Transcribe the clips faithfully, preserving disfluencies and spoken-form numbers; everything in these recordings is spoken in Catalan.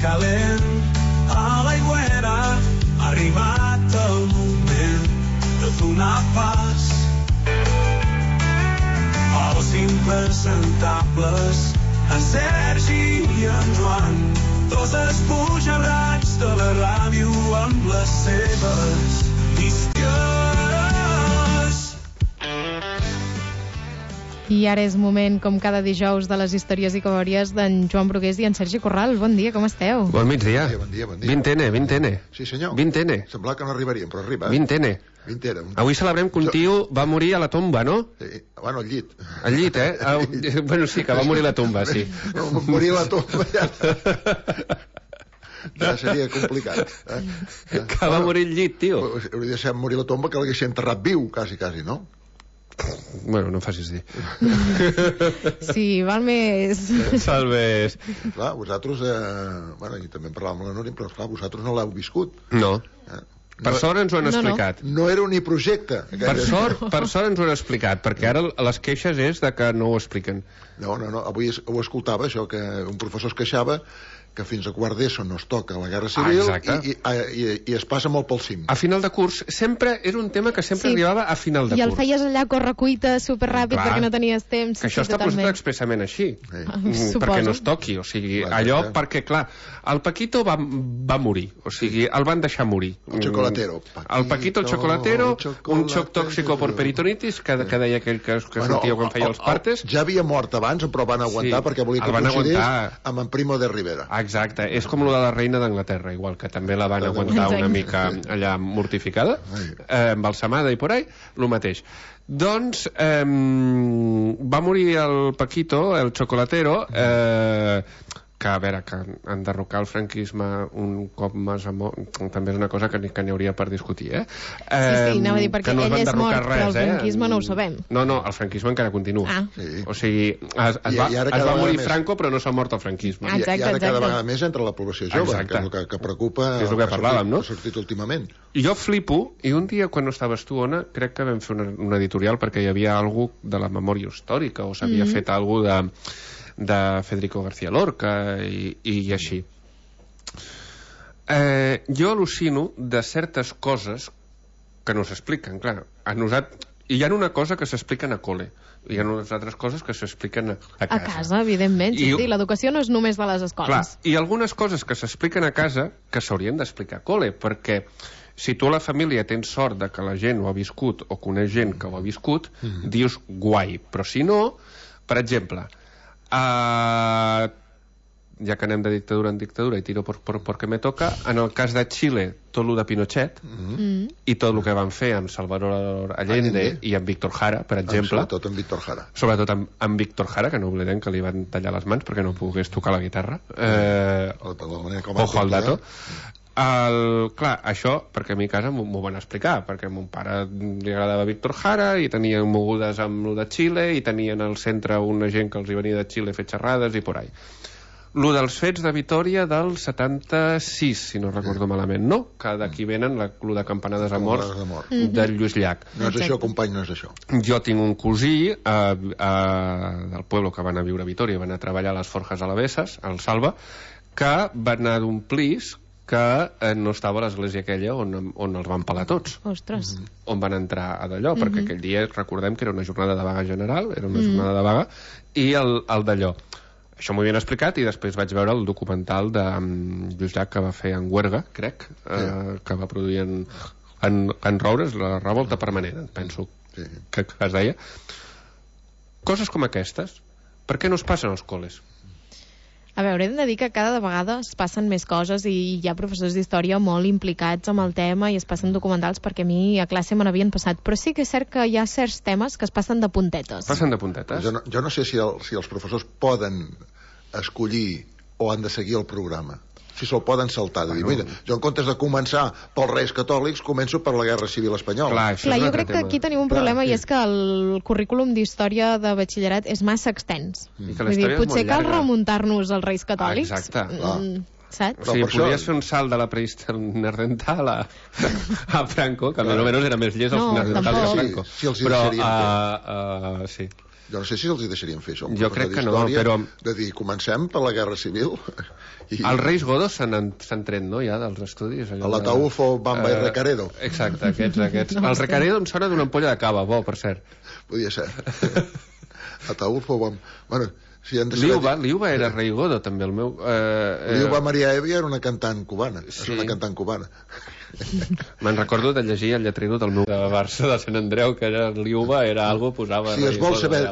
calent a l'aigüera. Ha arribat el moment de donar pas als impresentables, en Sergi i en Joan, dos esbojarrats de la ràdio amb les seves històries. I ara és moment, com cada dijous, de les històries i covaries d'en Joan Brugués i en Sergi Corral. Bon dia, com esteu? Bon migdia. Bon dia, bon dia. vint ene, vint ene. Sí, senyor. vint ene. Semblava que no arribaríem, però arriba. vint ene. vint ene. Avui celebrem que un tio va morir a la tomba, no? Sí. Bueno, al llit. Al llit, eh? El... Bueno, sí, que va morir a la tomba, sí. No, morir a la tomba ja... ja seria complicat. Eh? Que va morir al llit, tio. Hauria de ser morir a la tomba que l'hagués enterrat viu, quasi, quasi, no? Bueno, no em facis dir. Sí, val més. Val més. Clar, vosaltres, eh, bueno, i també en parlàvem amb la Núria, però clar, vosaltres no l'heu viscut. No. Eh? Per sort ens ho han No, no. explicat. No era un projecte. Per sort, per sort ens ho han explicat, perquè ara les queixes és de que no ho expliquen. No, no, no, avui es- ho escoltava, això, que un professor es queixava que fins a quart d'ESO no es toca la Guerra Civil Ah, exacte. i, i, i, i es passa molt pel cim. A final de curs, sempre era un tema que sempre Sí. arribava a final de I el curs. feies allà a correcuita superràpid Clar. perquè no tenies temps. Que això sí, està posat totalment. expressament així. Sí. Mm, Suposo. perquè no es toqui, o sigui, Clar, allò clar. perquè, clar, el Paquito va, va morir, o sigui, el van deixar morir. El chocolatero. Mm, El Paquito, el chocolatero, Paquito, un xoc tòxico per peritonitis, que, que deia aquell que, que Bueno, sentia quan feia els partes. Ja havia mort abans, però van aguantar Sí, perquè volia el que van coincidís aguantar. amb en Primo de Rivera. Ah, exacte, és com lo de la reina d'Anglaterra, igual, que també la van aguantar Exacte. una mica allà mortificada, Ai. eh, embalsamada i por ahí, lo mateix. Doncs eh, va morir el Paquito, el chocolatero, eh, que a veure, que enderrocar el franquisme un cop més a mort també és una cosa que n'hi que n'hi hauria per discutir, eh? Sí, sí, anava a dir, perquè que no es ell va és enderrocar mort, però el res, franquisme eh? no ho sabem. No, no, el franquisme encara continua. Ah. Sí. O sigui, es, es, I- va, i ara es cada va vegada morir més. Franco, però no s'ha mort el franquisme. Ah, I, exacte, I ara cada exacte. vegada més entre la població jove, Exacte. que és el que, que preocupa... És el que ha parlàvem, sortit- no? Ha sortit últimament. I jo flipo, i un dia quan no estaves tu, Ona, crec que vam fer una, una editorial perquè hi havia algú de la memòria històrica o s'havia Mhm. fet algú de, de Federico García Lorca i, i així. Eh, jo al·lucino de certes coses que no s'expliquen, clar. A nosaltres, hi ha una cosa que s'expliquen a col·le, hi ha unes altres coses que s'expliquen a, a A casa. casa, evidentment. Sí, I- sí, l'educació no és només de les Clar, escoles. i algunes coses que s'expliquen a casa que s'haurien d'explicar a col·le, perquè si tu a la família tens sort de que la gent ho ha viscut o coneix gent que ho ha viscut, mm. dius guai, però si no, per exemple, uh, ja que anem de dictadura en dictadura i tiro por, por, porque me toca, en el cas de Xile, tot lo de Pinochet Mm. i tot el que van fer amb Salvador Allende, Allende. i amb Víctor Jara, per exemple, Sobretot en Víctor Jara. sobretot amb, amb Víctor Jara, que no oblidem que li van tallar les mans perquè no pogués tocar la guitarra. Eh, De la manera com va ojo al actuar. dato. El, clar, això, perquè a mi a casa m'ho m'ho van explicar, perquè a mon pare li agradava Víctor Jara i tenien mogudes amb lo de Xile i tenien al centre una gent que els hi venia de Xile a fer xerrades i por ahí. Lo dels fets de Vitòria del setanta-sis, si no recordo malament, no? Que d'aquí venen la, lo de campanades a morts Campanades a mort. de Lluís Llach. No és Exacte. això, company, no és això. Jo tinc un cosí eh, eh, del poble que va anar a viure a Vitòria i va anar a treballar a les Forges Alavesses, al Salva, que va anar d'omplir que eh, no estava a l'església aquella on, on els van pelar tots, Ostres. on van entrar a d'allò, perquè aquell dia recordem que era una jornada de vaga general, era una jornada de vaga, i el, el d'allò. Això m'ho havien explicat i després vaig veure el documental de um, Lluís Llach que va fer en Huerga, crec, eh, que va produir en, en, en Roures, la revolta permanent, penso Sí. que, que es deia. Coses com aquestes, per què no es passen als col·les? A veure, hem de dir que cada vegada es passen més coses i hi ha professors d'història molt implicats amb el tema i es passen documentals perquè a mi a classe me n'havien passat. Però sí que és cert que hi ha certs temes que es passen de puntetes. Passen de puntetes? Jo no, jo no sé si, el, si els professors poden escollir o han de seguir el programa. Si se'l poden saltar. De dir, mira, jo en comptes de començar pels Reis Catòlics, començo per la Guerra Civil Espanyola. Clar, això Clar, és un jo altre crec que tema. aquí tenim un Clar, problema sí. i és que el currículum d'història de batxillerat és massa extens. I que la Vull dir, història és potser molt cal llarga. remuntar-nos als Reis Catòlics. Ah, exacte. Mm, saps? O sigui, per això- podries fer un salt de la prehistòria neandertal a, a Franco, que Clar. almenys era més llest el No, neandertal tampoc. que Franco. Sí, sí, els hi Però, deixaríem uh, uh, sí. Jo no sé si els hi deixarien fer això. Jo crec que no, però... De dir, comencem per la Guerra Civil. I... Els Reis Godos s'han tret, no?, ja, dels estudis. A l'Ataúfo, Bamba uh, i Recaredo. Exacte, aquests, aquests. No, el Recaredo em sona d'una ampolla de cava, bo, per cert. Podia ser. Ataúfo, Bamba... Bueno, si han de Liuba, Liuba era Rei Godo, també, el meu... Eh, Liuba Maria Evia era una cantant cubana. Sí. És una cantant cubana. Me'n recordo de llegir el lletrero del meu de Barça de Sant Andreu, que era Liuba, era algo, posava... Si, es vol saber,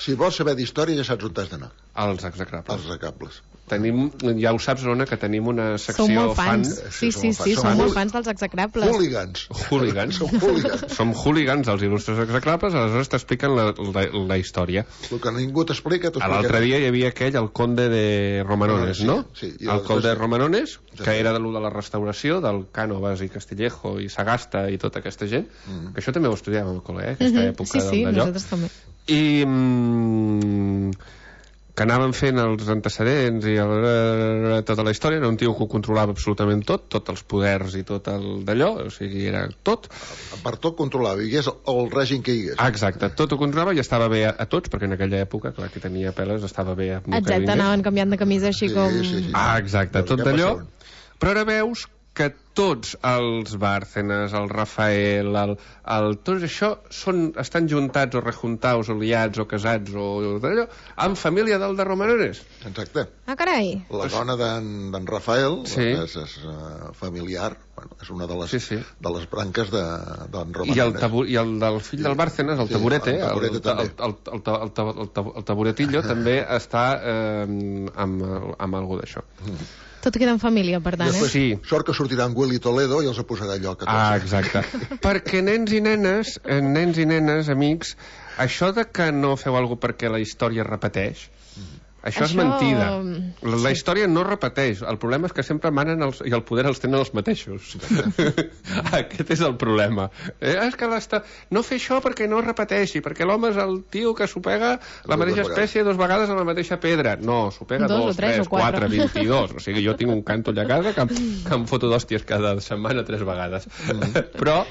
si vols saber d'història, ja saps on t'has d'anar. Als execrables. Els execrables. Tenim, ja ho saps, Ona, que tenim una secció som molt fans. fan. Sí, sí, sí, som, som molt fans dels execrables. Hooligans. Hooligans. Som hooligans. Som hooligans dels il·lustres execrables, aleshores t'expliquen la, la, la història. El que ningú t'explica, t'ho explica. L'altre dia hi havia aquell, el conde de Romanones, no? Sí, sí. El conde de Romanones, que era de lo de la restauració, del Cànovas i Castillejo i Sagasta i tota aquesta gent, mm. que això també ho estudiàvem al col·le, eh? Aquesta època sí, sí, d'allò. nosaltres també. I... Mm, que anaven fent els antecedents i el, tota la història. Era un tio que ho controlava absolutament tot, tots els poders i tot el d'allò, o sigui, era tot. Per tot controlava, i és el règim que hi hagués. Exacte, tot ho controlava i estava bé a, a tots, perquè en aquella època, clar, qui tenia peles estava bé a... Exacte, anaven canviant de camisa així sí, com... Sí, sí. Ah, exacte, tot d'allò. Però ara veus que tots els Bárcenas, el Rafael, el, el, tots això són, estan juntats o rejuntaus o liats o casats o d'allò, amb família del de Romanones. Exacte. Ah, carai. La dona d'en Rafael, sí. és, és uh, familiar, bueno, és una de les, sí, sí. de les branques d'en de, Romanones. I el, tabu, I el del fill del Bárcenas, el sí, Taburete, el, el, el, el, el, el, el, el, el Taburetillo, també està eh, amb, amb algú d'això. Mm. Tot queda en família, per tant, després, eh? Sí. Sort que sortirà en Willy Toledo i els posarà lloc a tots. Ah, exacte. Perquè nens i nenes, nens i nenes, amics, això de que no feu alguna cosa perquè la història es repeteix, això, això és mentida. La, la història no repeteix. El problema és que sempre manen els, i el poder els tenen els mateixos. Aquest és el problema. Eh, és que l'esta... no fer això perquè no es repeteixi, perquè l'home és el tio que s'ho pega la mateixa espècie dos vegades a la mateixa pedra. No, s'ho pega dos, dos tres, quatre, vint-i-dos. O sigui, jo tinc un canto allà a casa que, que em foto d'hòsties cada setmana tres vegades. Mm. Però,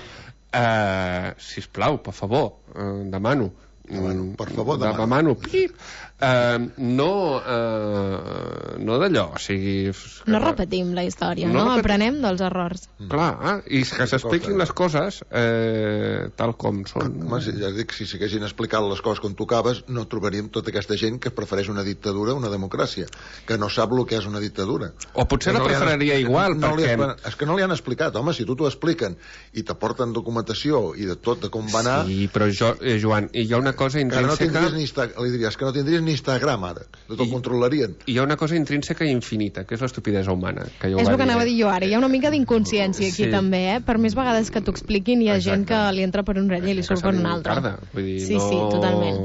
eh, sisplau, per favor, eh, demano, Demano, per favor, demano. demano pip, uh, no uh, no d'allò, o sigui... No repetim la història, no? no? Aprenem dels errors. Mm. Clar, eh? I que s'expliquin les coses eh, tal com són. Home, si, ja dic, si s'haguessin explicat les coses com tocaves, no trobaríem tota aquesta gent que prefereix una dictadura a una democràcia, que no sap el que és una dictadura. O potser que la no preferiria han, igual, no perquè... Han, és que no li han explicat, home, si tu t'ho expliquen i t'aporten documentació i de tot, de com va anar... Sí, però jo, eh, Joan, hi ha una cosa intrínseca... No ni Insta... li diries que no tindries ni Instagram ara, tot ho controlarien. Hi ha una cosa intrínseca i infinita, que és l'estupidesa humana. Que jo és el que dir. anava a dir jo ara, hi ha una mica d'inconsciència aquí sí. també, eh? Per més vegades que t'ho expliquin hi ha Exacte. gent que li entra per un rell i li surt per un altre. Vull dir, sí, no... sí, totalment.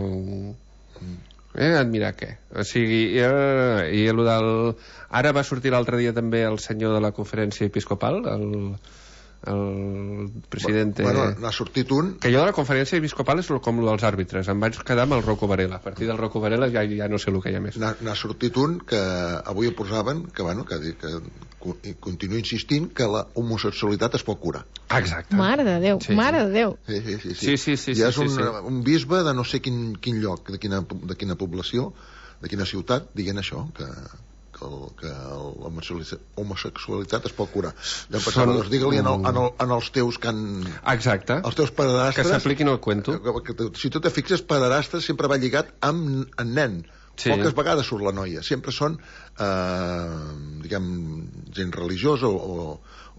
Eh, admirar què? O sigui, eh, i el del... Ara va sortir l'altre dia també el senyor de la conferència episcopal, el... el president... Bueno, n'ha sortit un... Que jo de la conferència episcopal és com el dels àrbitres. Em vaig quedar amb el Rocco Varela. A partir del Rocco Varela ja, ja no sé el que hi ha més. N'ha sortit un que avui posaven, que, bueno, que, que continua insistint que la homosexualitat es pot curar. Exacte. Mare de Déu, sí, mare de Déu. Sí, sí, sí. sí, sí, sí, I és sí, un, sí. un bisbe de no sé quin, quin lloc, de quina, de quina població, de quina ciutat, dient això, que... que l'homosexualitat es pot curar. Jo em pensava, doncs digue-li en, el, en, el, en els teus que han... Exacte. Els teus pederastres... Que s'apliquin el cuento. Que, que, que, si tu te fixes, pederastres sempre va lligat amb en nen. Sí. Poques vegades surt la noia. Sempre són, eh, diguem, gent religiosa o, o,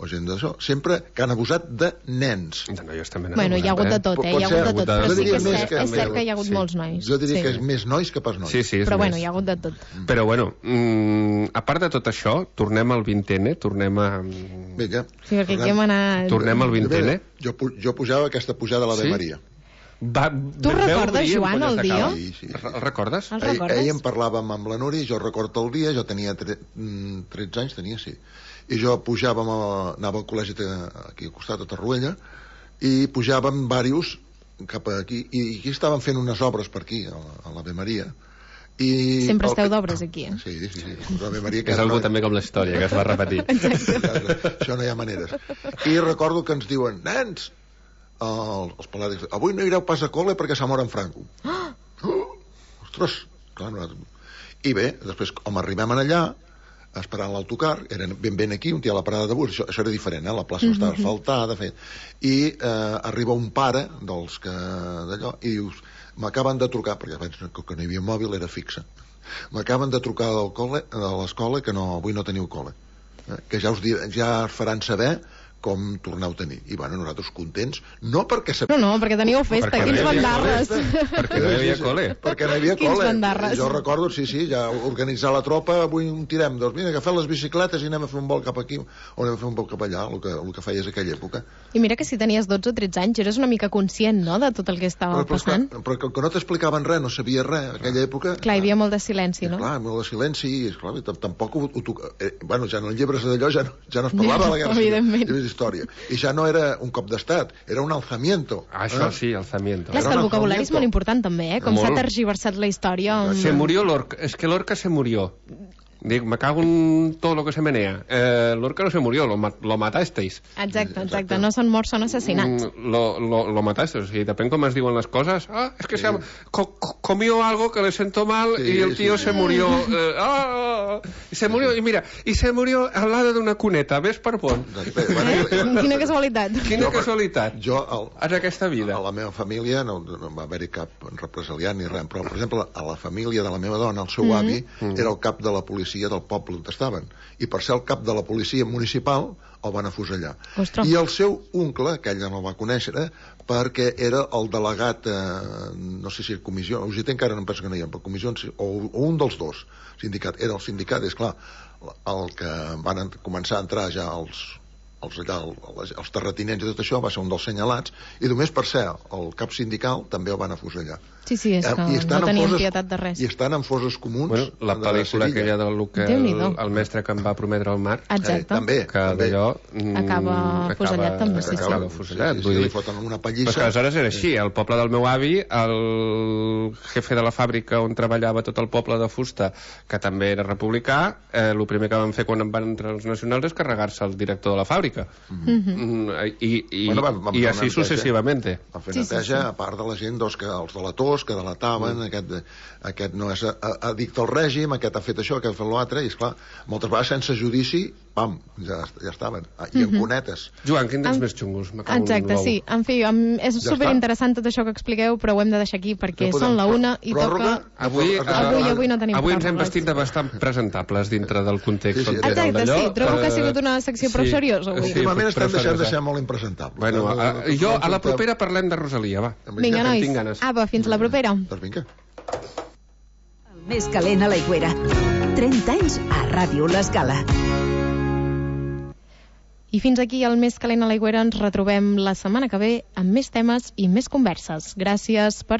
o gent d'això. Sempre que han abusat de nens. De noies també. Bueno, hi ha hagut de tot, eh? Hi ha hagut de tot. Però sí que és, cert, que és cert que hi ha hagut sí. molts nois. Jo diria sí. que és més nois que pas nois. Sí, sí, però més. bueno, hi ha hagut de tot. Però bueno, mm, a part de tot això, tornem al vintene, tornem a... Vinga. Sí, perquè aquí hem anat... Tornem al vintene. Jo, jo pujava aquesta pujada a l'Ave sí? Maria. Va, tu recordes, Joan, el dia? Sí, sí, sí. El recordes? El recordes? Ell, ell en parlàvem amb la Núria, jo recordo el dia, jo tenia tre, tretze anys, tenia, sí. I jo pujàvem, a, anava al col·legi aquí al costat, a Torroella, i pujàvem diversos cap aquí, i aquí estaven fent unes obres per aquí, a l'Ave Maria. I sempre esteu el... d'obres aquí, eh? Sí, sí, sí. L'Ave Maria, que és algú també com la història, que es va repetir. Això no hi ha maneres. I recordo que ens diuen, nens, els, els pelàdics, avui no ireu pas a col·le perquè s'ha mort en Franco. Oh! ostres, clar, nosaltres... I bé, després, com arribem allà, esperant l'autocar, eren ben ben aquí, un dia a la parada de bus, això, això era diferent, eh? La plaça no estava asfaltada, fet, i eh, arriba un pare dels que d'allò, i dius, m'acaben de trucar, perquè abans que no hi havia mòbil, era fixa, m'acaben de trucar del col·le, de l'escola, que no, avui no teniu col·le, eh? Que ja us, dir, ja us faran saber com torneu a tenir. I bueno, nosaltres contents, no perquè... No, no, perquè teníeu festa, perquè quins no bandarres. Perquè no hi havia col·le. Perquè no hi havia Quins col·le. bandarres. Jo recordo, sí, sí, ja organitzar la tropa, avui un tirem, doncs mira, agafem les bicicletes i anem a fer un vol cap aquí, o anem a fer un vol cap allà, el que, el que feies aquella època. I mira que si tenies dotze o tretze anys eres una mica conscient, no?, de tot el que estava però, però, passant. Clar, però que no t'explicaven res, no sabia res, aquella època... Clar, hi havia molt de silenci, no? Clar, molt de silenci, i esclar, tampoc ho, ho, eh, bueno, ja en els llibres d'allò ja, no, ja no es parlava de la guerra civil, llibres d'història, i ja no era un cop d'estat, era un alzamiento. Ah, això eh? sí, alzamiento. Clar, és que el vocabulari és molt important també, eh? Com s'ha tergiversat la història. Se murió Lorca, es que Lorca se murió. Dic, me cago en todo lo que se menea. Eh, Lorca no se murió, lo, lo matasteis. Exacte, exacte. No són morts, són assassinats. Mm, lo, lo, lo matasteis. O sigui, depèn com es diuen les coses. Ah, es que sí. se ha, co, comió algo que le sentó mal sí, y el tío sí. se murió. Eh, ah, se murió, y mira, y se murió al lado de una cuneta. ¿Ves per pont? Eh? Quina casualitat. Quina casualitat. Jo, el, en aquesta vida. A la meva família no, no va haver-hi cap represaliat ni res, però, per exemple, a la família de la meva dona, el seu mm -hmm. avi, mm -hmm. era el cap de la policia del poble on estaven, i per ser el cap de la policia municipal el van afusellar. Ostres. I el seu oncle, que ella no el va conèixer, eh, perquè era el delegat, eh, no sé si comissió, o sigui, encara no em penso que no hi ha, però comissió, o, o un dels dos, sindicat, era el sindicat, és clar, el que van començar a entrar ja els els, allà, els, els terratinents i tot això va ser un dels senyalats, i només per ser el cap sindical també el van afusellar. Sí, sí, és que no tenien foses, pietat de res. I estan en foses comuns. Bueno, la pel·lícula aquella del que el, el mestre que em va prometre el mar. Exacte. Eh, també. Que d'allò... Acaba fusellat també, sí, sí. Acaba fusellat. Sí, sí, vull dir, li foten una pallissa. Però que aleshores era així. El poble del meu avi, el jefe de la fàbrica on treballava tot el poble de fusta, que també era republicà, eh, el primer que van fer quan van entrar els nacionals és carregar-se el director de la fàbrica. Mm-hmm. Mm, I, i, bueno, vam, vam i així successivament. Van fer neteja, sí, sí, sí. A part de la gent, doncs, que els delators, que delataven, mm. aquest, aquest no és addicte al règim, aquest ha fet això, aquest ha fet l'altre, i esclar, moltes vegades sense judici, pam, ja, ja estaven. I en mm-hmm. cunetes. Joan, quin dels en... més xungos? Exacte, sí. En fi, em, és ja superinteressant tot això que expliqueu, però ho hem de deixar aquí perquè no són la una i pròrroga, toca... Avui, avui, avui, avui no tenim Avui ens hem vestit de bastant presentables dintre del context. Sí, sí. Exacte, sí. Trobo que ha sigut una secció prou sí, seriosa avui. Sí, últimament estem deixant de ser molt impresentables. Bueno, a, a, jo a la propera parlem de Rosalia, va. Vinga, nois. Apa, fins la propera. Doncs vinga. El més calent a l'Aigüera. trenta anys a Ràdio L'Escala. I fins aquí el més calent a l'Aigüera. Ens retrobem la setmana que ve amb més temes i més converses. Gràcies per